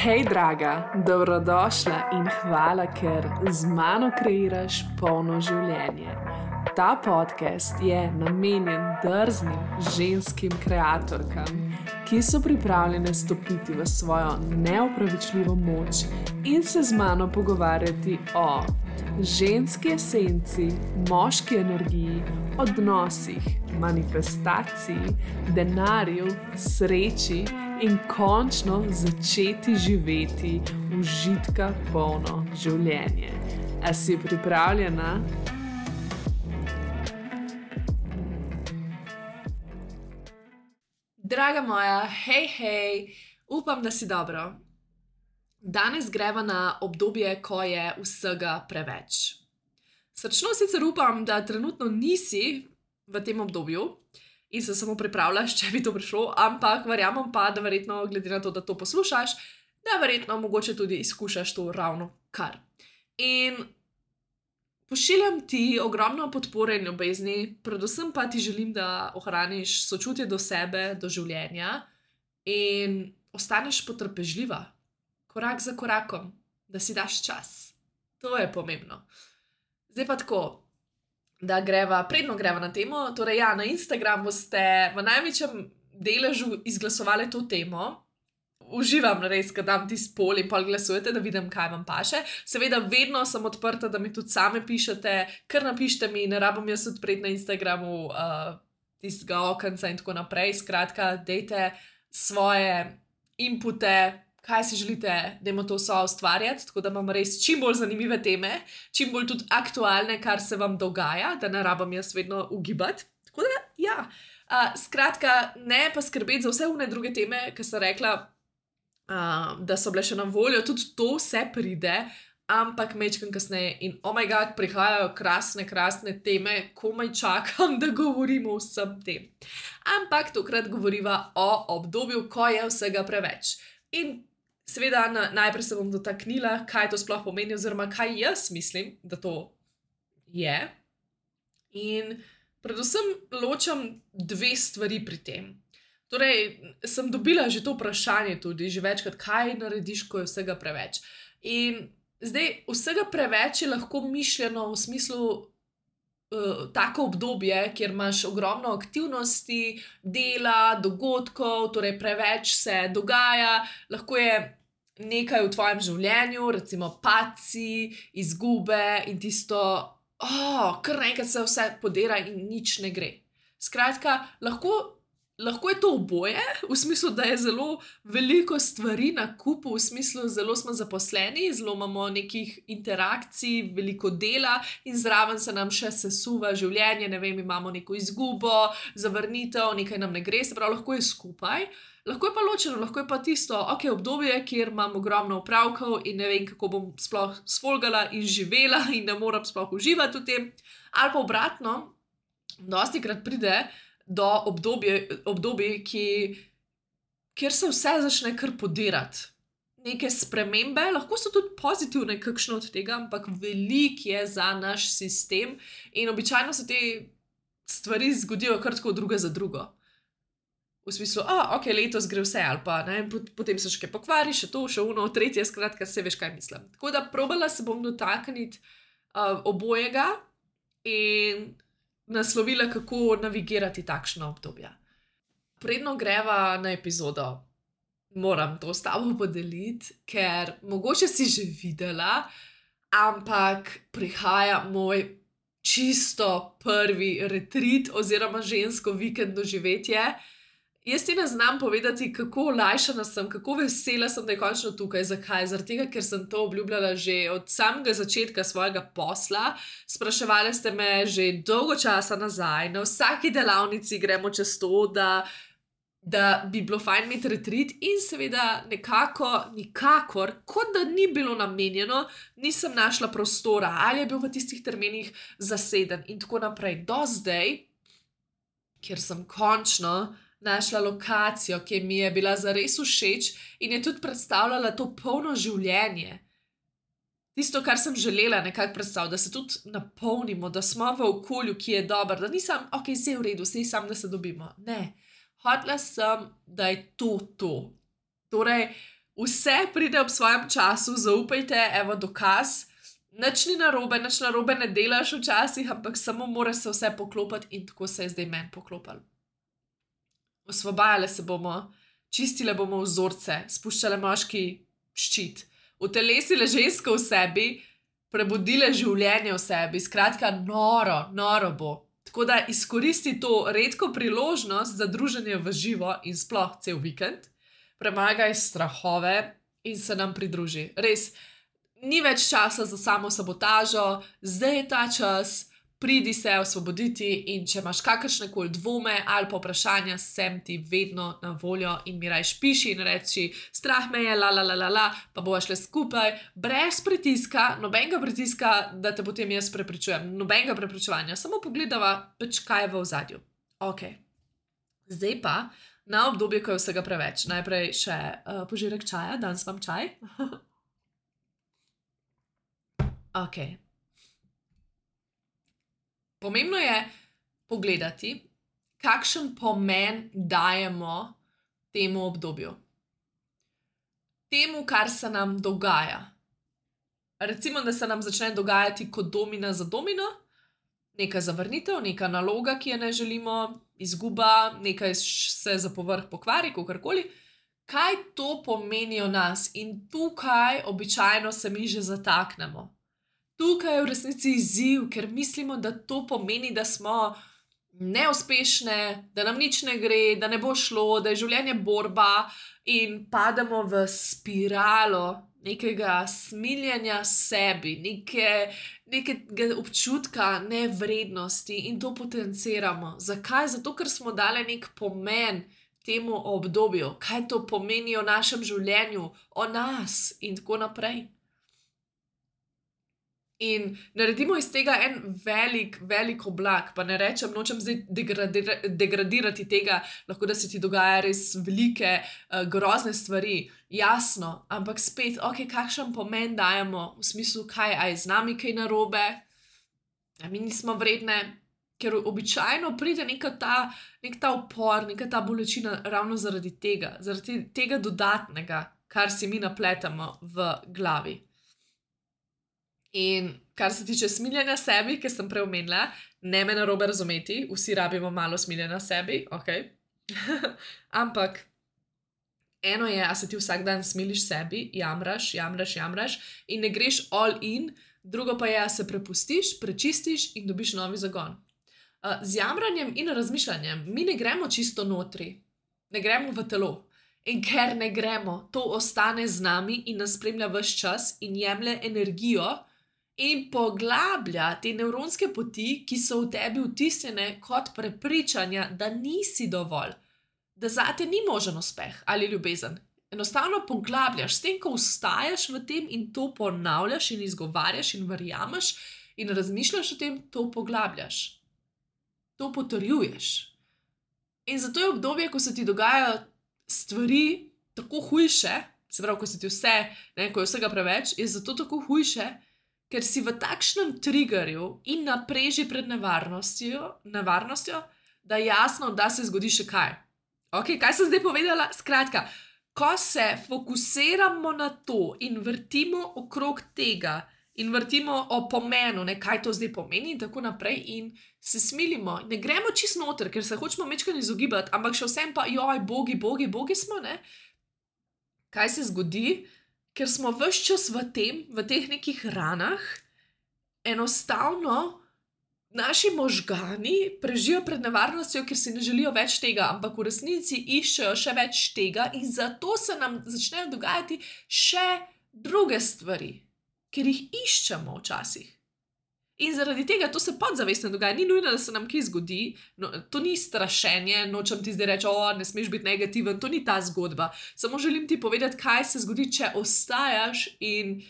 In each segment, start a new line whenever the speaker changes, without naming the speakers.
Hej, draga, dobrodošla in hvala, ker z mano kreiraš polno življenje. Ta podcast je namenjen drznim ženskim kreatorkam, ki so pripravljene stopiti v svojo neopravičljivo moč in se z mano pogovarjati o ženski esenci, moški energiji, odnosih, manifestaciji, denarju, sreči in končno začeti živeti užitka polno življenje. A si pripravljena? Draga moja, hej, upam, da si dobro. Danes greva na obdobje, ko je vsega preveč. Srčno sicer upam, da trenutno nisi v tem obdobju in se samo pripravljaš, če bi to prišlo, ampak verjamem pa, da verjetno, glede na to, da to poslušaš, da verjetno mogoče tudi izkušaš to ravno kar. In pošiljam ti ogromno podpore in ljubezni, predvsem pa ti želim, da ohraniš sočutje do sebe, do življenja in ostaneš potrpežljiva, korak za korakom, da si daš čas. To je pomembno. Zdaj pa tako, da predno greva na temo, torej ja, na Instagramu ste v največjem deležu izglasovali to temo. Uživam res, ko dam ti spol in pol glasujete, da vidim, kaj vam paše. Seveda vedno sem odprta, da mi tudi same pišete, kar napišite mi, ne rabim jaz odpreti na Instagramu tistega okenca in tako naprej. Skratka, dejte svoje inpute, kaj si želite, dajmo to soustvarjati, tako da imam res čim bolj zanimive teme, čim bolj tudi aktualne, kar se vam dogaja, da ne rabim jaz vedno ugibati. Tako da, ja. Skratka, ne pa skrbeti za vse une druge teme, ki sem rekla, da so bile še na voljo, tudi to vse pride, ampak mečkam kasneje in oh my god, prihajajo krasne teme, komaj čakam, da govorimo o vsem tem. Ampak tokrat govoriva o obdobju, ko je vsega preveč. In seveda najprej se bom dotaknila, kaj to sploh pomeni oziroma kaj jaz mislim, da to je. In predvsem ločam dve stvari pri tem. Torej, sem dobila že to vprašanje tudi, že večkrat, kaj narediš, ko je vsega preveč. In zdaj, vsega preveč je lahko mišljeno v smislu tako obdobje, kjer imaš ogromno aktivnosti, dela, dogodkov, torej preveč se dogaja, lahko je nekaj v tvojem življenju, recimo padci, izgube in tisto, kar naenkrat se vse podira in nič ne gre. Skratka, lahko je to oboje, v smislu, da je zelo veliko stvari na kupu, v smislu, zelo smo zaposleni, zelo imamo nekih interakcij, veliko dela in zraven se nam še sesuva življenje, ne vem, imamo neko izgubo, zavrnitev, nekaj nam ne gre, se pravi, lahko je skupaj. Lahko je pa ločeno, lahko je pa tisto, obdobje, kjer imam ogromno opravkov in ne vem, kako bom sploh sfolgala in živela in ne moram sploh uživati v tem. Ali pa obratno, dostikrat pride do obdobij, kjer se vse začne kar podirati. Neke spremembe, lahko so tudi pozitivne, kakšno od tega, ampak veliko je za naš sistem in običajno se te stvari zgodijo kar tako druga za drugo. V smislu, letos gre vse, ali pa ne, potem se še kaj pokvari, še to, še uno, tretje, skratka, se veš, kaj mislim. Tako da probala se bom dotakniti obojega in naslovila, kako navigirati takšna obdobja. Predno greva na epizodo, moram to s tabo podeliti, ker mogoče si že videla, ampak prihaja moj čisto prvi retreat oziroma žensko vikend doživetje. Jaz ti ne znam povedati, kako olajšana sem, kako vesela sem, da je končno tukaj. Zakaj? Zaradi tega, ker sem to obljubljala že od samega začetka svojega posla. Spraševali ste me že dolgo časa nazaj, na vsaki delavnici gremo čez to, da bi bilo fajn imeti retreat in seveda nikakor, kot da ni bilo namenjeno, nisem našla prostora ali je bil v tistih terminih zaseden in tako naprej. Do zdaj, kjer sem končno našla lokacijo, ki mi je bila zares všeč in je tudi predstavljala to polno življenje. Tisto, kar sem želela nekako predstaviti, da se tudi napolnimo, da smo v okolju, ki je dobro, da nisem, vse je v redu, vse je samo, da se dobimo. Ne, hotela sem, da je to. Torej, Vse pride ob svojem času, zaupajte, evo dokaz. Nič ni narobe, nič narobe ne delaš včasih, ampak samo mora se vse poklopiti in tako se je zdaj meni poklopilo. Osvobajale se bomo, čistile bomo vzorce, spuščale moški ščit, utelesile žensko v sebi, prebudile življenje v sebi, skratka noro bo. Tako da izkoristi to redko priložnost za druženje v živo in sploh cel vikend, premagaj strahove in se nam pridruži. Res, ni več časa za samo sabotažo, zdaj je ta čas, pridi se osvoboditi in če imaš kakršnekoli dvome ali pa vprašanja, sem ti vedno na voljo in mi rajš piši in reči, strah me je, pa bova šle skupaj, brez pritiska, nobenega pritiska, da te potem jaz prepričujem, nobenega prepričevanja, samo pogledava, kaj je v ozadju. Ok, zdaj pa na obdobje, ko je vsega preveč. Najprej še požirek čaja, danes vam čaj. Ok. Pomembno je pogledati, kakšen pomen dajemo temu obdobju. Temu, kar se nam dogaja. Recimo, da se nam začne dogajati kot domina za domino, neka zavrnitev, neka naloga, ki je ne želimo, izguba, nekaj se za povrh pokvari, kakorkoli. Kaj to pomeni o nas? In tukaj običajno se mi že zataknemo. Tukaj je v resnici izziv, ker mislimo, da to pomeni, da smo neuspešne, da nam nič ne gre, da ne bo šlo, da je življenje borba in pademo v spiralo nekega smiljenja sebi, nekega občutka nevrednosti in to potenciramo. Zakaj? Zato, ker smo dali nek pomen temu obdobju, kaj to pomeni o našem življenju, o nas in tako naprej. In naredimo iz tega en velik oblak, pa ne rečem, nočem zdaj degradirati tega, lahko da se ti dogaja res velike, grozne stvari, jasno, ampak spet, ok, kakšen pomen dajemo v smislu, kaj, a je z nami kaj narobe, a mi nismo vredne, ker običajno pride nek ta upor, neka ta bolečina ravno zaradi tega dodatnega, kar si mi napletamo v glavi. In kar se tiče smiljenja sebi, ki sem prej omenila, ne me narobe razumeti, vsi rabimo malo smiljenja sebi, ok. Ampak eno je, a se ti vsak dan smiliš sebi, jamraš in ne greš all in, drugo pa je, a se prepustiš, prečistiš in dobiš novi zagon. Z jamranjem in razmišljanjem mi ne gremo čisto notri, ne gremo v telo. In ker ne gremo, to ostane z nami in nas spremlja ves čas in jemlje energijo in poglablja te nevronske poti, ki so v tebi vtisnjene kot prepričanja, da nisi dovolj, da zate ni možen uspeh ali ljubezen. Enostavno poglabljaš, s tem, ko vstajaš v tem in to ponavljaš in izgovarjaš in verjameš in razmišljaš o tem, to poglabljaš. To potrjuješ. In zato je obdobje, ko se ti dogajajo stvari tako hujše, se pravi, ko se ti ko je vsega preveč, je zato tako hujše, ker si v takšnem triggerju in napreži pred nevarnostjo, da jasno, da se zgodi še kaj. Ok, kaj sem zdaj povedala? Skratka, ko se fokusiramo na to in vrtimo okrog tega in vrtimo o pomenu, kaj to zdaj pomeni in tako naprej in se smilimo, ne gremo čist noter, ker se hočemo mečkaj izogibati, ampak še vsem pa, joj, bogi smo, ne? Kaj se zgodi? Ker smo ves čas v teh nekih ranah, enostavno naši možgani prežijo pred nevarnostjo, ker si ne želijo več tega, ampak v resnici iščejo še več tega in zato se nam začnejo dogajati še druge stvari, ker jih iščemo včasih. In zaradi tega to se podzavestno dogaja, ni nujno, da se nam kaj zgodi, no, to ni strašenje, nočem ti zdaj reči, ne smeš biti negativen, to ni ta zgodba. Samo želim ti povedati, kaj se zgodi, če ostajaš in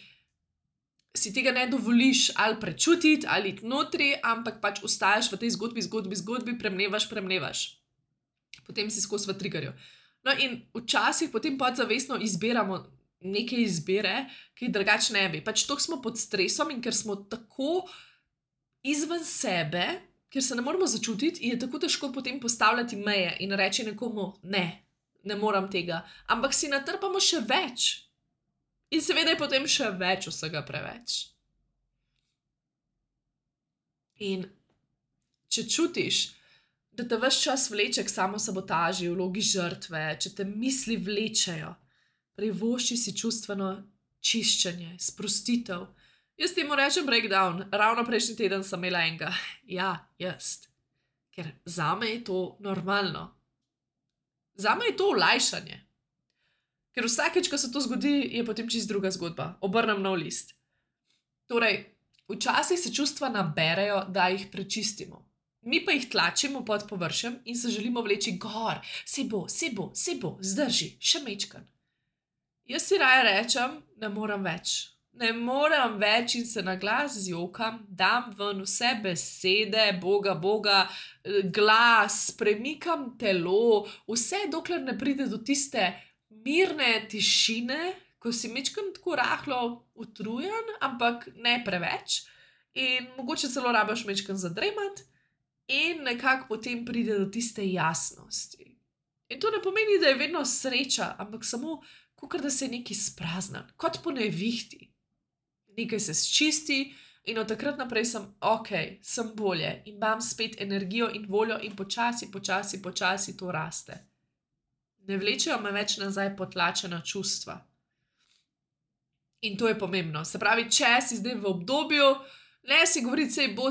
si tega ne dovoliš ali prečutiti ali notri, ampak pač ostajaš v tej zgodbi, premnevaš. Potem si skozi v triggerju. No in včasih potem podzavestno izbiramo neke izbire, ki drugače ne bi. Pač toliko smo pod stresom in ker smo tako izven sebe, ker se ne moramo začutiti, je tako težko potem postavljati meje in reči nekomu ne. ne morem tega, ampak si natrpamo še več. In seveda je potem še več vsega preveč. In če čutiš, da te ves čas vleče k samosabotaži, vlogi žrtve, če te misli vlečejo, privošči si čustveno čiščenje, sprostitev. Jaz temu rečem breakdown, ravno prejšnji teden sem imela enega. Ja, jaz. Ker zame je to normalno. Zame je to olajšanje. Ker vsakeč, ko se to zgodi, je potem čisto druga zgodba. Obrnem nov list. Torej, včasih se čustva naberejo, da jih prečistimo. Mi pa jih tlačimo pod površjem in se želimo vleči gor. Se bo, zdrži, še mečkan. Jaz si raje rečem, ne morem več. Ne morem več in se na glas zjokam, dam ven vse besede, boga, glas, premikam telo, vse dokler ne pride do tiste mirne tišine, ko si mečkam tako rahlo utrujen, ampak ne preveč in mogoče celo rabiš mečkam zadremat in nekako potem pride do tiste jasnosti. In to ne pomeni, da je vedno sreča, ampak samo kakor da se je nekaj spraznan, kot po nevihti. Nekaj se sčisti in od takrat naprej sem sem bolje in imam spet energijo in voljo in počasi to raste. Ne vlečejo me več nazaj potlačena čustva. In to je pomembno. Se pravi, če si zdaj v obdobju, ne si govoriti, sej bo,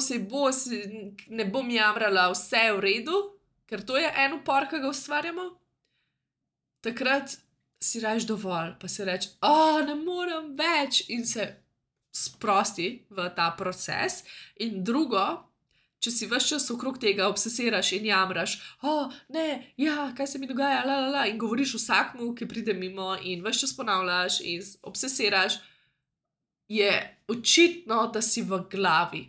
ne bom jamrala, vse je v redu, ker to je en upor, ki ga ustvarjamo, takrat si rečeš dovolj, pa si rečeš, ne morem več in se sprosti v ta proces. In drugo, če si ves čas okrog tega obsesiraš in jamraš, ne, kaj se mi dogaja, in govoriš vsakmu, ki pride mimo in ves čas ponavljaš in obsesiraš, je očitno, da si v glavi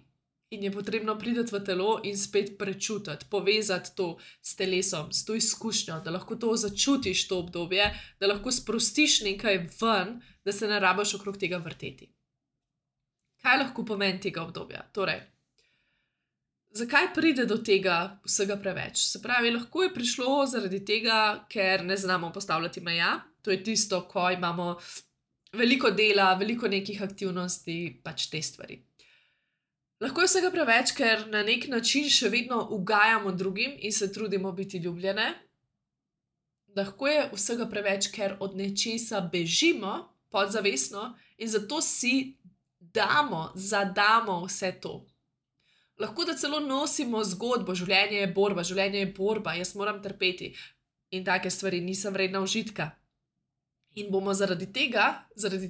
in je potrebno priti v telo in spet prečutiti, povezati to s telesom, s to izkušnjo, da lahko to začutiš to obdobje, da lahko sprostiš nekaj ven, da se ne rabiš okrog tega vrteti. Kaj lahko pomeni tega obdobja? Torej, zakaj pride do tega vsega preveč? Se pravi, lahko je prišlo zaradi tega, ker ne znamo postavljati meja. To je tisto, ko imamo veliko dela, veliko nekih aktivnosti, pač te stvari. Lahko je vsega preveč, ker na nek način še vedno ugajamo drugim in se trudimo biti ljubljene. Lahko je vsega preveč, ker od nečesa bežimo podzavestno in zato si zadamo vse to. Lahko da celo nosimo zgodbo, življenje je borba, jaz moram trpeti in take stvari, nisem vredna užitka. In bomo zaradi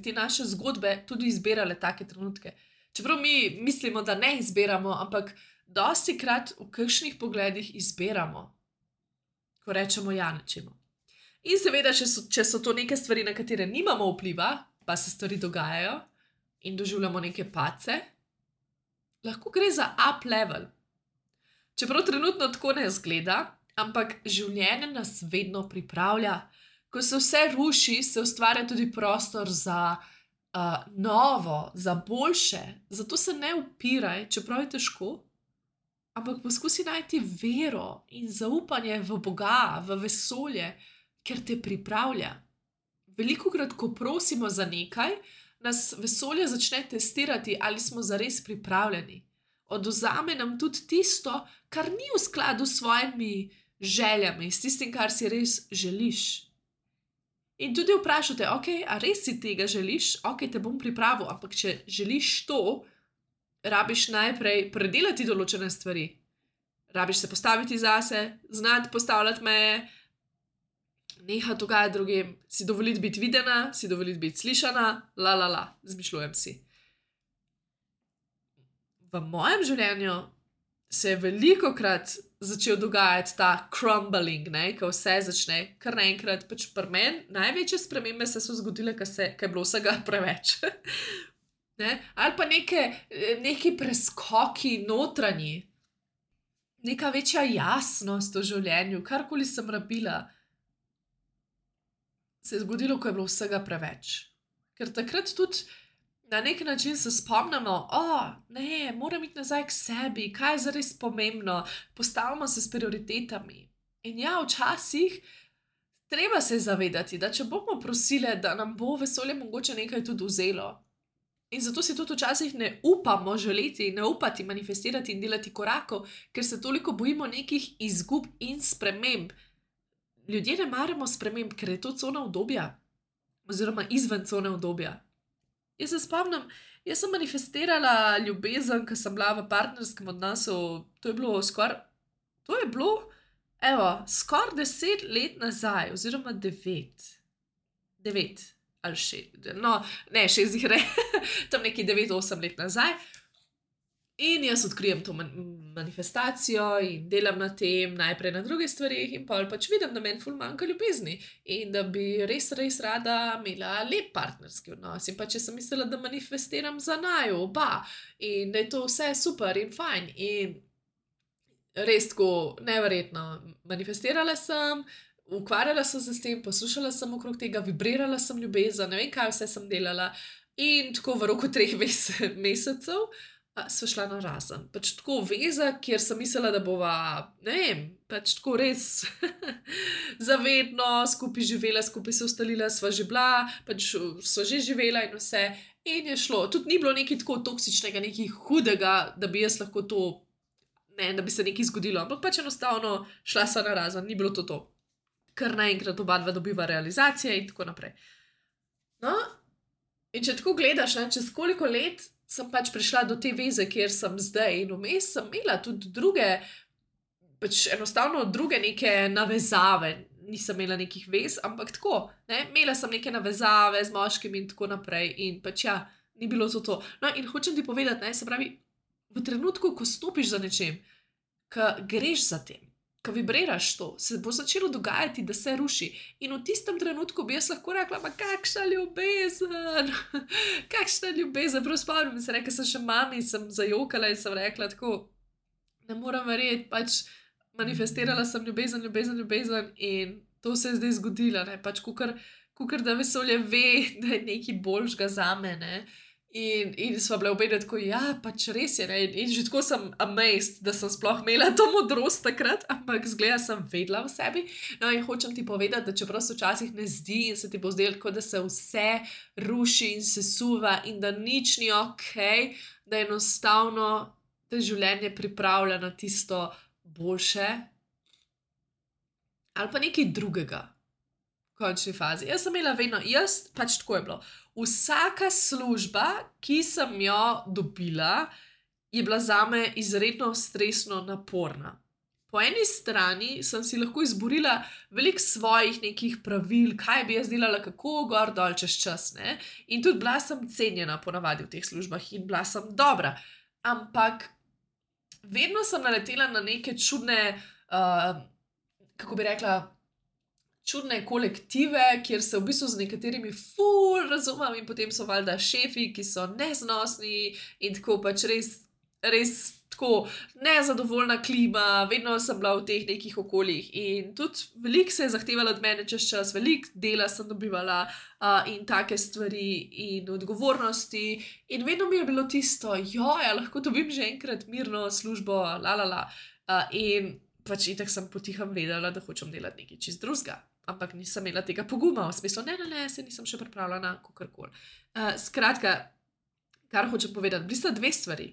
te naše zgodbe tudi izbirale take trenutke. Čeprav mi mislimo, da ne izbiramo, ampak dostikrat v kakšnih pogledih izbiramo, ko rečemo ja nečemu. In seveda, če so to neke stvari, na katere nimamo vpliva, pa se stvari dogajajo, in doživljamo neke padce, lahko gre za up level. Čeprav trenutno tako ne izgleda, ampak življenje nas vedno pripravlja. Ko se vse ruši, se ustvarja tudi prostor za novo, za boljše. Zato se ne upiraj, čeprav je težko, ampak poskusi najti vero in zaupanje v Boga, v vesolje, ker te pripravlja. Velikokrat, ko prosimo za nekaj, nas vesolje začne testirati, ali smo zares pripravljeni. Odvzame nam tudi tisto, kar ni v skladu s svojimi željami, s tistim, kar si res želiš. In tudi vprašate, a res si tega želiš? Te bom pripravil, ampak če želiš to, rabiš najprej predelati določene stvari. Rabiš se postaviti zase, znati postavljati meje, nehati dogajati drugim, si dovoliti biti videna, si dovoliti biti slišana, izmišljujem si. V mojem življenju se je velikokrat začel dogajati ta crumbling, ko vse začne kar naenkrat, pač pri meni največje spremembe se so zgodile, ko je bilo vsega preveč. Ali pa neki preskoki notranji, neka večja jasnost v življenju, karkoli sem rabila, se je zgodilo, ko je bilo vsega preveč. Ker takrat tudi na nek način se spomnimo, ne, moram iti nazaj k sebi, kaj je zares pomembno, postavimo se s prioritetami. In ja, včasih treba se zavedati, da če bomo prosile, da nam bo vesolje mogoče nekaj tudi vzelo. In zato si tudi včasih ne upamo želeti, ne upati manifestirati in delati korakov, ker se toliko bojimo nekih izgub in sprememb. Ljudje ne maramo sprememb, ker je to cona udobja, oziroma izven cone udobja. Jaz se spomnim, jaz sem manifestirala ljubezen, ko sem bila v partnerskem odnosu, to je bilo skoraj 10 let nazaj, oziroma 9. 9 ali 6, no, ne, 6 jih tam neki 9-8 let nazaj. In jaz odkrijem to manifestacijo in delam na tem, najprej na drugih stvarih, in pol pač vidim, da meni ful manjka ljubezni in da bi res, res rada imela lep partnerski odnos. In pač jaz sem mislila, da manifestiram za naju oba in da je to vse super in fajn. In res tako neverjetno manifestirala sem, ukvarjala sem se s tem, poslušala sem okrog tega, vibrirala sem ljubezen, ne vem, kaj vse sem delala. In tako v roku 3 mesecev sva šla na razen. Pač tako veza, kjer sem mislila, da bova, ne vem, pač tako res zavedno skupaj živela, skupaj se ustalila, sva že bila, pač sva že živela in vse. In je šlo. Tudi ni bilo nekaj tako toksičnega, nekaj hudega, da bi jaz lahko to, ne, da bi se nekaj zgodilo. Ampak pač enostavno šla sva na razen, ni bilo to. Kar naenkrat oba dva dobiva realizacije in tako naprej. No, in če tako gledaš, ne, čez koliko let sem pač prišla do te veze, kjer sem zdaj, in vmes sem imela tudi druge, pač enostavno druge neke navezave, nisem imela nekih vez, ampak tako, ne, imela sem neke navezave z moškim in tako naprej in pač ja, ni bilo to. No, in hočem ti povedati, ne, se pravi, v trenutku, ko stopiš za nečem, ko greš za tem, ko vibriraš to, se bo začelo dogajati, da se ruši. In v tistem trenutku bi jaz lahko rekla, ma kakšna ljubezen, kakšna ljubezen. Prav spomnim se, rekla sem še mami, sem zajokala in sem rekla tako, ne moram verjeti, pač manifestirala sem ljubezen in to se je zdaj zgodilo, ne, pač kakor da vesolje ve, da je nekaj boljšega zame, ne. In sva bila obe tako, ja, pač res je, ne, in že tako sem amazed, da sem sploh imela to modrost takrat, ampak zgleda sem vedela v sebi. No, in hočem ti povedati, da čeprav se včasih ne zdi in se ti bo zdelo, kot da se vse ruši in sesuva in da nič ni okej, da enostavno te življenje pripravlja na tisto boljše ali pa nekaj drugega. V končni fazi. Jaz sem imela vedno, pač tako je bilo. Vsaka služba, ki sem jo dobila, je bila zame izredno stresno naporna. Po eni strani sem si lahko izborila veliko svojih nekih pravil, kaj bi jaz delala, kako gor dol čez čas, ne. In tudi bila sem cenjena ponavadi v teh službah in bila sem dobra. Ampak vedno sem naletela na neke čudne, kako bi rekla, čudne kolektive, kjer se v bistvu z nekaterimi ful razumem in potem so valjda šefi, ki so neznosni in tako pač res tako nezadovoljna klima, vedno sem bila v teh nekih okoljih in tudi veliko se je zahtevalo od mene čez čas, veliko dela sem dobivala in take stvari in odgovornosti in vedno mi je bilo tisto, ja, lahko dobim že enkrat mirno službo, in pač itak sem potihem vedela, da hočem delati nekaj čist drugega. Ampak nisem imela tega poguma, v smislu, ne, se nisem še pripravljena, kakorkoli. Skratka, kar hočem povedati, bili sta 2 stvari,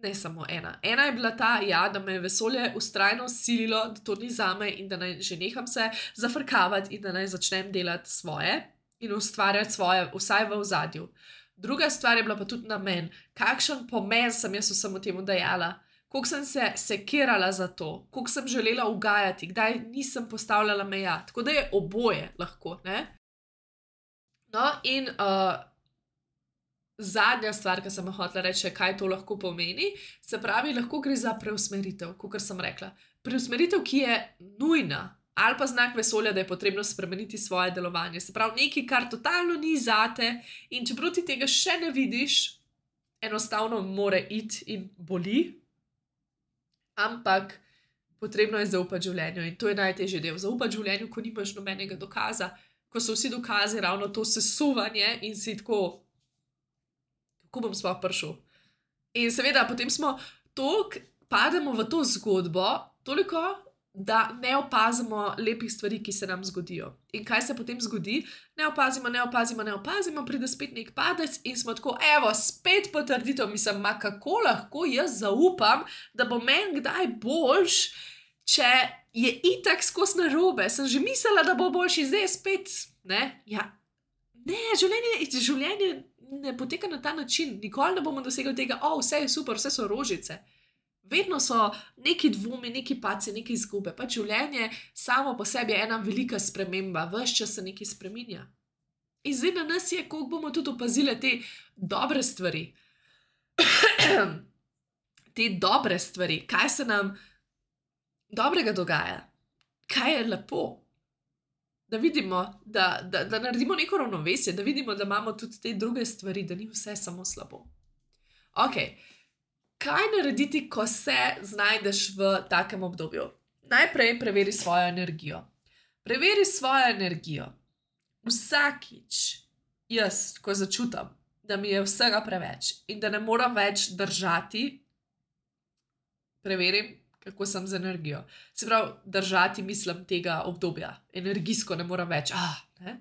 ne samo ena. Ena je bila ta, ja, da me je vesolje vztrajno sililo, da to ni zame in da naj že neham se zafrkavati in da naj začnem delati svoje in ustvarjati svoje, vsaj v ozadju. Druga stvar je bila pa tudi namen, kakšen pomen sem jaz vsemu temu dajala. Koliko sem se sekirala za to, koliko sem želela ugajati, kdaj nisem postavljala meja. Tako da je oboje lahko, ne. No, in zadnja stvar, ki sem hotela reči, kaj to lahko pomeni, se pravi, lahko gre za preusmeritev, kakor sem rekla. Preusmeritev, ki je nujna, ali pa znak vesolja, da je potrebno spremeniti svoje delovanje. Se pravi, nekaj, kar totalno ni zate in čeprav ti tega še ne vidiš, enostavno more iti in boli. Ampak potrebno je zaupati življenju in to je najtežji del. Zaupati življenju, ko nimaš nobenega dokaza, ko so vsi dokazi ravno to sesuvanje in si tako, kako bom sploh prišel. In seveda, potem smo pademo v to zgodbo, toliko da ne opazimo lepih stvari, ki se nam zgodijo. In kaj se potem zgodi? Ne opazimo, pride spet nek padec in smo tako, evo, spet potrditev, mislim, kako lahko jaz zaupam, da bo meni kdaj boljš, če je itak skozi narobe. Sem že mislila, da bo boljši, zdaj je spet, ne? Ja, ne, življenje ne poteka na ta način. Nikoli ne bomo dosegli tega, vse je super, vse so rožice. Vedno so neki dvomi, neki padci, neki izgube. Pač življenje samo po sebi je ena velika sprememba, ves čas se nekaj spreminja. In zdaj na nas je, koliko bomo tudi opazili te dobre stvari. Te dobre stvari, kaj se nam dobrega dogaja, kaj je lepo. Da vidimo, da naredimo neko ravnovesje, da vidimo, da imamo tudi te druge stvari, da ni vse samo slabo. Kaj narediti, ko se znajdeš v takem obdobju? Najprej preveri svojo energijo. Preveri svojo energijo. Vsakič jaz, ko začutam, da mi je vsega preveč in da ne moram več držati, preverim, kako sem z energijo. Se pravi, držati mislim tega obdobja. Energijsko ne moram več. Ne?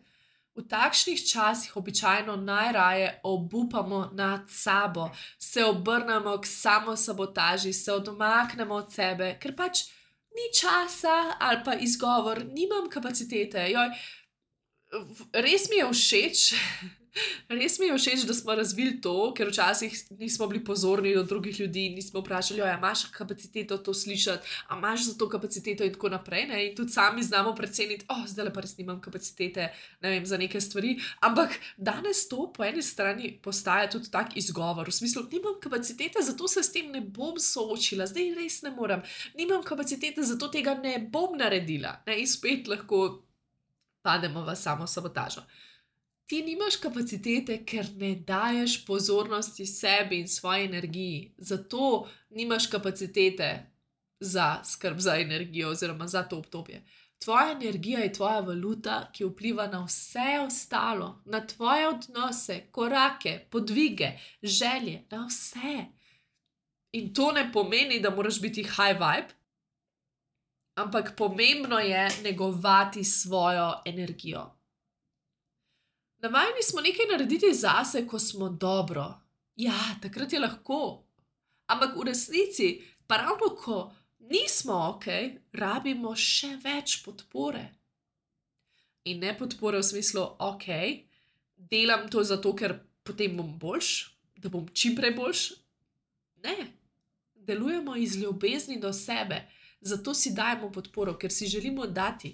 V takšnih časih običajno najraje obupamo nad sabo, se obrnemo k samosabotaži, se odmaknemo od sebe, ker pač ni časa ali pa izgovor, nimam kapacitete. Res mi je všeč, da smo razvili to, ker včasih nismo bili pozorni do drugih ljudi, nismo vprašali, imaš kapaciteto to slišati, a imaš za to kapaciteto in tako naprej, ne? In tudi sami znamo preceniti, zdaj pa res nimam kapacitete, ne vem, za neke stvari, ampak danes to po eni strani postaja tudi tak izgovor, v smislu, nimam kapacitete, zato se s tem ne bom soočila, zdaj res ne morem, nimam kapacitete, zato tega ne bom naredila, ne? In spet lahko pademo v samosabotažo. Ti nimaš kapacitete, ker ne daješ pozornosti sebi in svoji energiji. Zato nimaš kapacitete za skrb za energijo oziroma za to obdobje. Tvoja energija je tvoja valuta, ki vpliva na vse ostalo, na tvoje odnose, korake, podvige, želje, na vse. In to ne pomeni, da moraš biti high vibe, ampak pomembno je negovati svojo energijo. Navajeni smo nekaj narediti zase, ko smo dobro. Ja, takrat je lahko. Ampak v resnici, pa ravno ko nismo rabimo še več podpore. In ne podpore v smislu, delam to zato, ker potem bom boljš, da bom čim prej boljš. Ne, delujemo iz ljubezni do sebe, zato si dajemo podporo, ker si želimo dati.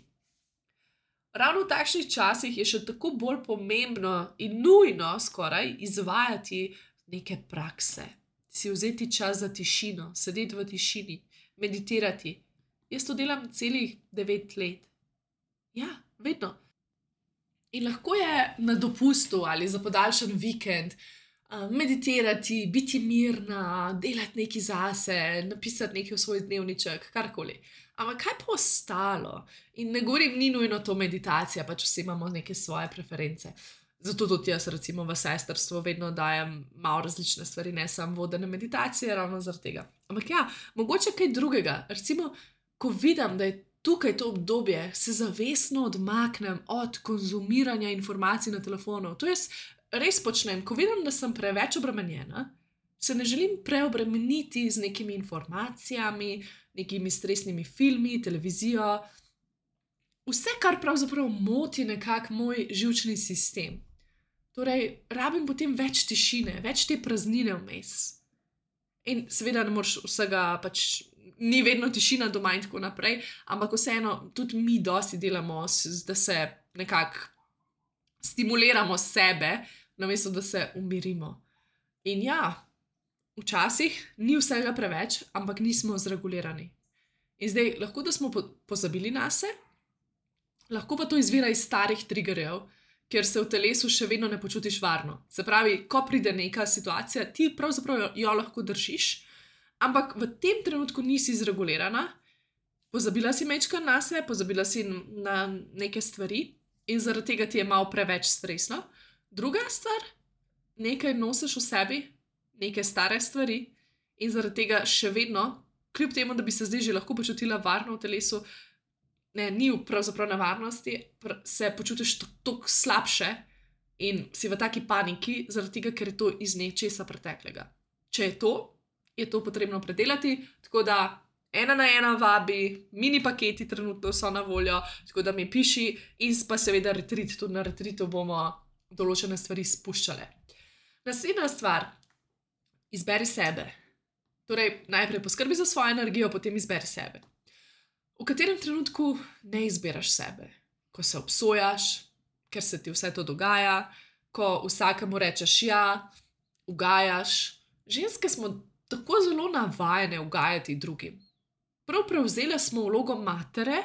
Ravno v takšnih časih je še tako bolj pomembno in nujno skoraj izvajati neke prakse. Si vzeti čas za tišino, sedeti v tišini, meditirati. Jaz to delam celih 9 let. Ja, vedno. In lahko je na dopustu ali za podaljšan vikend meditirati, biti mirna, delati nekaj zase, napisati nekaj v svoj dnevniček, karkoli. Ampak kaj pa ostalo? In ne govorim, ni nujno to meditacija, pač vsi imamo neke svoje preference. Zato tudi jaz recimo v sestrstvu vedno dajem malo različne stvari, ne samo vodene meditacije, ravno zaradi tega. Ampak ja, mogoče kaj drugega. Recimo, ko vidim, da je tukaj to obdobje, se zavestno odmaknem od konzumiranja informacij na telefonu. To jaz res počnem, ko vidim, da sem preveč obremenjena, se ne želim preobremeniti z nekimi informacijami, nekimi stresnimi filmi, televizijo. Vse, kar pravzaprav moti nekako moj živčni sistem. Torej, rabim potem več tišine, več te praznine vmes. In seveda ne moreš vsega, pač ni vedno tišina doma in tako naprej, ampak vseeno tudi mi dosti delamo, da se nekako stimuliramo sebe, namesto da se umirimo. In ja, včasih ni vsega preveč, ampak nismo zregulirani. In zdaj, lahko da smo pozabili nase, lahko pa to izvira iz starih triggerjev, ker se v telesu še vedno ne počutiš varno. Se pravi, ko pride neka situacija, ti pravzaprav jo lahko držiš, ampak v tem trenutku nisi zregulirana, pozabila si majčkeno nase, pozabila si na neke stvari in zaradi tega ti je malo preveč stresno. Druga stvar, nekaj nosiš v sebi, neke stare stvari in zaradi tega še vedno kljub temu, da bi se zdaj že lahko počutila varno v telesu, ne, ni pravzaprav na varnosti, se počutiš toliko slabše in si v taki paniki, zaradi tega, ker je to iz nečesa preteklega. Če je to potrebno predelati, tako da 1 na 1 vabi, mini paketi trenutno so na voljo, tako da mi piši in pa seveda retreat, tudi na retreatu bomo določene stvari spuščale. Naslednja stvar, izberi sebe. Torej, najprej poskrbi za svojo energijo, potem izberi sebe. V katerem trenutku ne izbiraš sebe? Ko se obsojaš, ker se ti vse to dogaja, ko vsakemu rečeš ja, ugajaš. Ženske smo tako zelo navajene ugajati drugim. Prav prevzele smo vlogo matere,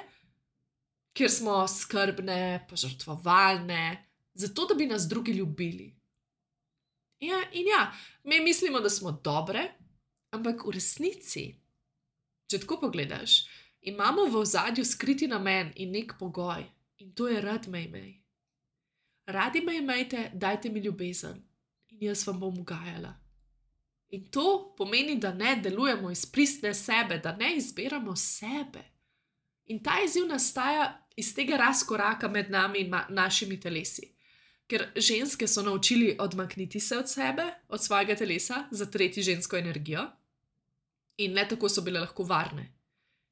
kjer smo skrbne, požrtvovalne, zato da bi nas drugi ljubili. Ja, mi mislimo, da smo dobre, ampak v resnici, če tako pogledaš, imamo v ozadju skriti namen in nek pogoj, in to je rad me imej. Radi me imejte, dajte mi ljubezen in jaz vam bom ugajala. In to pomeni, da ne delujemo iz pristne sebe, da ne izbiramo sebe. In ta izziv nastaja iz tega razkoraka med nami in našimi telesi. Ker ženske so naučili odmakniti se od sebe, od svojega telesa, zatreti žensko energijo in le tako so bile lahko varne.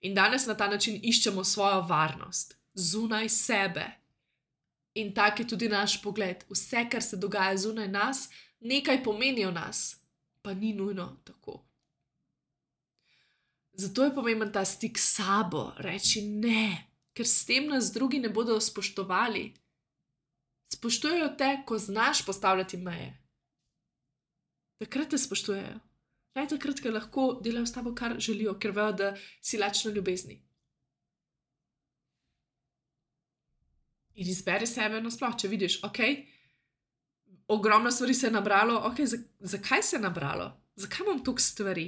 In danes na ta način iščemo svojo varnost, zunaj sebe. In tak je tudi naš pogled. Vse, kar se dogaja zunaj nas, nekaj pomeni o nas. Pa ni nujno tako. Zato je pomemben ta stik s sabo, reči ne, ker s tem nas drugi ne bodo spoštovali. Spoštujejo te, ko znaš postavljati meje. Takrat te spoštujejo. Ne takrat, ker lahko delajo s tabo, kar želijo, ker vejo, da si lačna ljubezni. In izberi sebe nasploh, če vidiš, ogromno stvari se je nabralo, zakaj se je nabralo? Zakaj imam toliko stvari?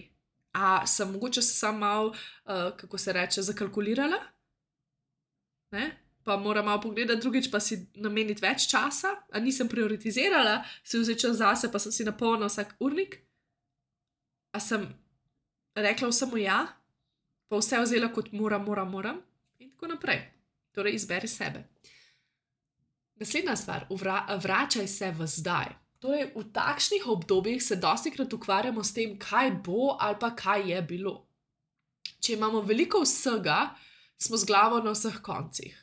A sem mogoče se sam malo, kako se reče, zakalkulirala? Ne? Pa moram malo pogledati drugič, pa si nameniti več časa? A nisem prioritizirala, si vzeti čas zase, pa sem si napolnila vsak urnik? A sem rekla vsemu ja? Pa vse vzela kot moram? In tako naprej. Torej, izberi sebe. Naslednja stvar, vračaj se v zdaj. Torej, v takšnih obdobjih se dostikrat ukvarjamo s tem, kaj bo ali pa kaj je bilo. Če imamo veliko vsega, smo z glavo na vseh koncih.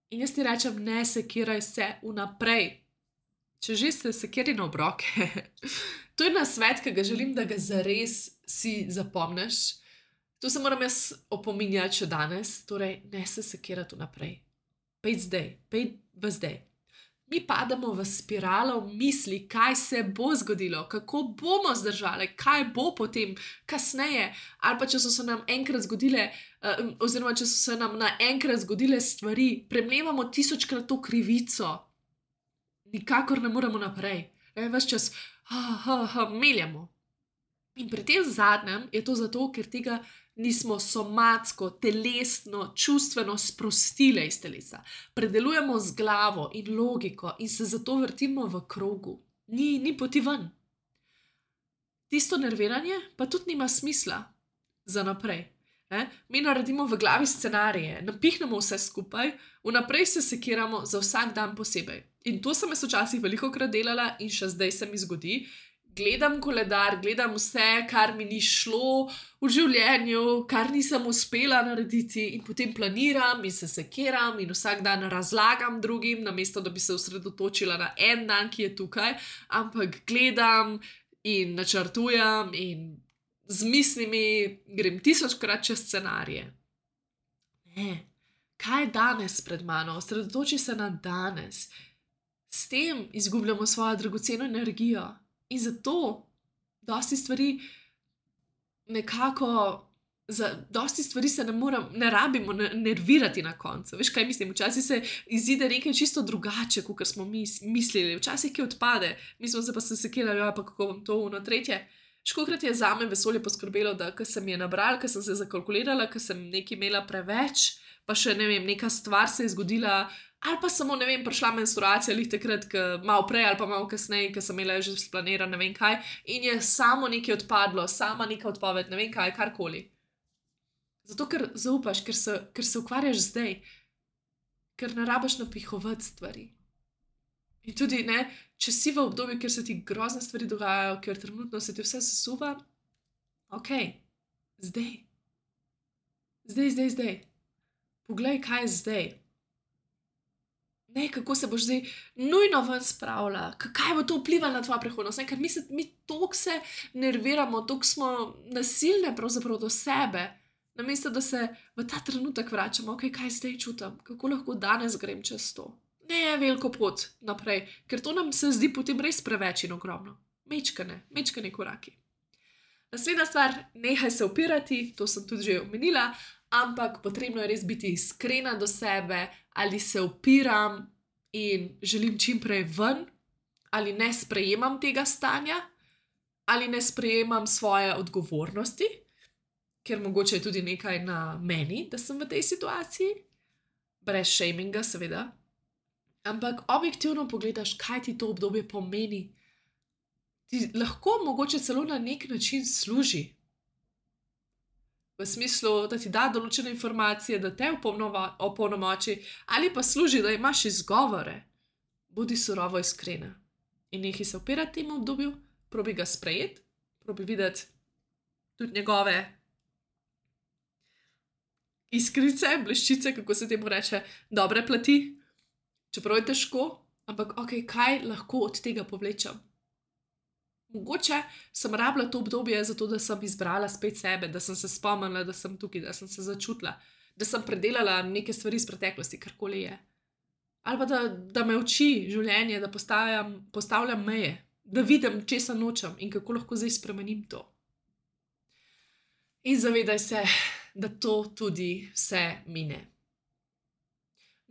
In jaz ti rečem, ne sekiraj se vnaprej. Če že se sekiri na obroke. To je nasvet, ki ga želim, da ga zares si zapomniš. To se moram jaz opominjati še danes. Torej, ne se sekirati vnaprej. Pejdi zdaj, pejdi v zdaj. Mi padamo v spiralo misli, kaj se bo zgodilo, kako bomo zdržali, kaj bo potem kasneje, ali pa če so se nam enkrat zgodile, oziroma če so se nam naenkrat zgodile stvari, premlevamo 1000-krat to krivico. Nikakor ne moremo naprej. Ves čas meljamo. In pri tem zadnjem je to zato, ker tega nismo somatsko, telesno, čustveno sprostile iz telesa. Predelujemo z glavo in logiko in se zato vrtimo v krogu. Ni poti ven. Tisto nerviranje pa tudi nima smisla za naprej. Mi naredimo v glavi scenarije, napihnemo vse skupaj, vnaprej se sekiramo za vsak dan posebej. In to sem jaz včasih velikokrat delala in še zdaj se mi zgodi. Gledam koledar, gledam vse, kar mi ni šlo v življenju, kar nisem uspela narediti in potem planiram in se sekiram in vsak dan razlagam drugim, namesto da bi se osredotočila na en dan, ki je tukaj, ampak gledam in načrtujem in z mislimi grem 1000-krat čez scenarije. Ne, kaj je danes pred mano? Osredotoči se na danes. S tem izgubljamo svojo dragoceno energijo. In zato dosti stvari nekako, za dosti stvari se ne rabimo nervirati na koncu. Veš, kaj mislim? Včasih se izide nekaj čisto drugače, kot smo mi mislili. Včasih ki odpade. Mi smo se pa sekirali, pa kako bom to tretje. Školikrat je zame vesolje poskrbelo, da ko sem je nabrala, ko sem se zakalkulirala, ko sem nekaj imela preveč, pa še ne vem, neka stvar se je zgodila, ali pa samo, ne vem, prišla menstruacija, lih takrat, malo prej ali pa malo kasneje, ker sem imela že splaniran, ne vem kaj, in je samo nekaj odpadlo, sama neka odpoved, ne vem kaj, karkoli. Zato, ker zaupaš, ker se ukvarjaš zdaj, ker ne rabiš napihovati stvari. In tudi, ne, če si v obdobju, kjer se ti grozne stvari dogajajo, ker trenutno se ti vse sesuva, ok, zdaj. Zdaj. Poglej, kaj je zdaj. Ne, kako se boš zdaj nujno ven spravila, kaj bo to vplivalo na tvojo prihodnost. Ne? Ker mi toliko se nerviramo, toliko smo nasilne pravzaprav do sebe, namesto da se v ta trenutek vračamo, ok, kaj zdaj čutim, kako lahko danes grem čez to. Ne je veliko pot naprej, ker to nam se zdi potem res preveč in ogromno. Mečkane koraki. Naslednja stvar, nehaj se upirati, to sem tudi že omenila, ampak potrebno je res biti iskrena do sebe, ali se upiram in želim čim prej ven, ali ne sprejemam tega stanja, ali ne sprejemam svoje odgovornosti, ker mogoče je tudi nekaj na meni, da sem v tej situaciji, brez shaminga seveda, ampak objektivno pogledaš, kaj ti to obdobje pomeni. Ti lahko mogoče celo na nek način služi. V smislu, da ti da določene informacije, da te opolnomoči, ali pa služi, da imaš izgovore. Bodi surovo iskrena. In nehaj se upirati temu obdobju, probi ga sprejeti, probi videti tudi njegove iskrice, bleščice, kako se temu reče, dobre plati. Čeprav je težko, ampak ok, kaj lahko od tega povlečem? Mogoče sem rabila to obdobje zato, da sem izbrala spet sebe, da sem se spomnila, da sem tukaj, da sem se začutila, da sem predelala neke stvari iz preteklosti, karkoli je. Ali pa da me uči življenje, da postavljam meje, da vidim, česa nočem in kako lahko zdaj spremenim to. In zavedaj se, da to tudi vse mine.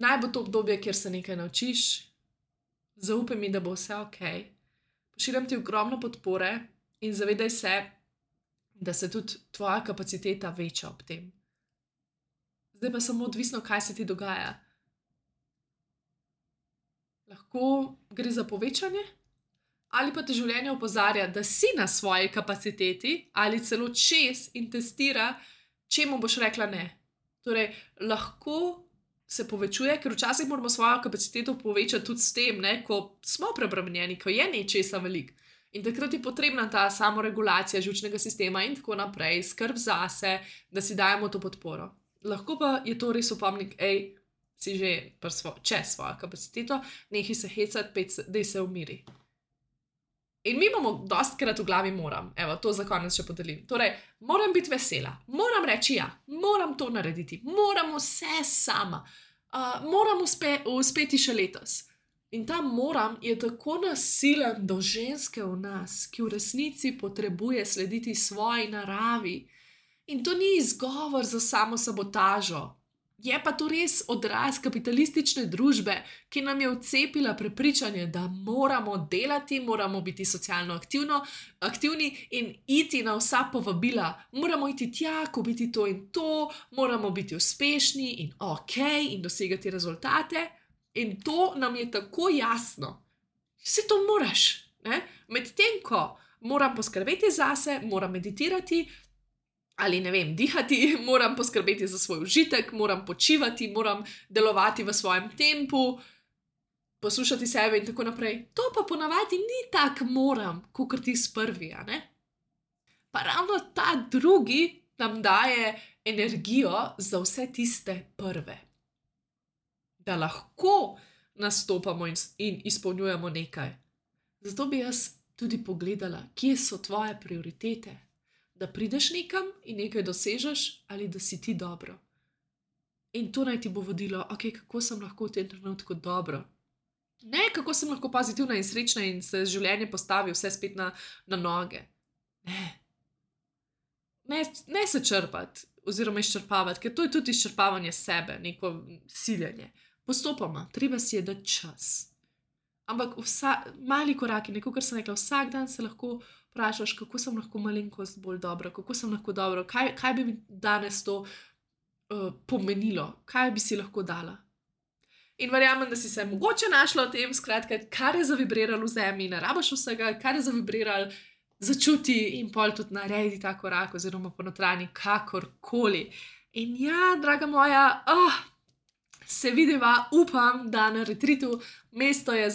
Naj bo to obdobje, kjer se nekaj naučiš, zaupaj mi, da bo vse ok. Pošiljam ti ogromno podpore in zavedaj se, da se tudi tvoja kapaciteta veča ob tem. Zdaj pa samo odvisno, kaj se ti dogaja. Lahko gre za povečanje, ali pa te življenje opozarja, da si na svoji kapaciteti ali celo čez in testira, čemu boš rekla ne. Torej, lahko se povečuje, ker včasih moramo svojo kapaciteto povečati tudi s tem, ne, ko smo preobremenjeni, ko je nečesa veliko. In takrat je potrebna ta samoregulacija živčnega sistema in tako naprej, skrb zase, da si dajemo to podporo. Lahko pa je to res opomnik, si že čez svojo kapaciteto, nehaj se hecati, daj se umiri. In mi imamo dostikrat v glavi moram, evo, to za konec še podelim. Torej, moram biti vesela, moram reči ja, moram to narediti, moram vse sama, moram uspeti še letos. In ta moram je tako nasilen do ženske v nas, ki v resnici potrebuje slediti svoji naravi. In to ni izgovor za samo sabotažo. Je pa to res odraz kapitalistične družbe, ki nam je vcepila prepričanje, da moramo delati, moramo biti socialno aktivni in iti na vsa povabila. Moramo iti tja, kupiti to in to, moramo biti uspešni in ok in dosegati rezultate. In to nam je tako jasno. Vse to moraš, ne? Medtem ko moram poskrbeti zase, moram meditirati, ali ne vem, dihati, moram poskrbeti za svoj užitek, moram počivati, moram delovati v svojem tempu, poslušati sebe in tako naprej. To pa ponavadi ni tak moram, kakor ti prvi, a ne? Pa ravno ta drugi nam daje energijo za vse tiste prve. Da lahko nastopamo in izpolnjujemo nekaj. Zato bi jaz tudi pogledala, kje so tvoje prioritete. Da prideš nekam in nekaj dosežeš, ali da si ti dobro. In to naj ti bo vodilo, ok, kako sem lahko v tem trenutku dobro. Ne, kako sem lahko pozitivna in srečna in se življenje postavi vse spet na noge. Ne se črpati oziroma izčrpavati, ker to je tudi izčrpavanje sebe, neko siljenje. Postopoma, treba si je dati čas. Ampak mali koraki, neko, kar sem rekla, vsak dan se lahko vprašaš, kako sem lahko malenkost bolj dobro, kako sem lahko dobro, kaj bi mi danes to pomenilo, kaj bi si lahko dala. In verjamem, da si se mogoče našla v tem, skratka, kar je zavibriralo v zemlji, ne rabiš vsega, kar je zavibriralo, začuti in pol tudi naredi ta korak, oziroma ponotranji kakorkoli. In ja, draga moja, se vidiva, upam, da na retritu. Mesto je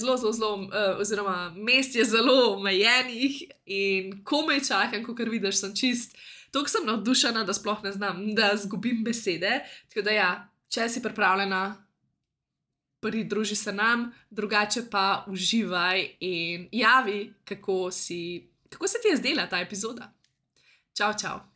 oziroma mest je zelo omejenih in komaj čakam, kot vidiš, sem čist. Toliko sem navdušena, da sploh ne znam, da zgubim besede. Tako da ja, če si pripravljena, pridruži se nam, drugače pa uživaj in javi, kako se ti je zdela ta epizoda. Čau, čau.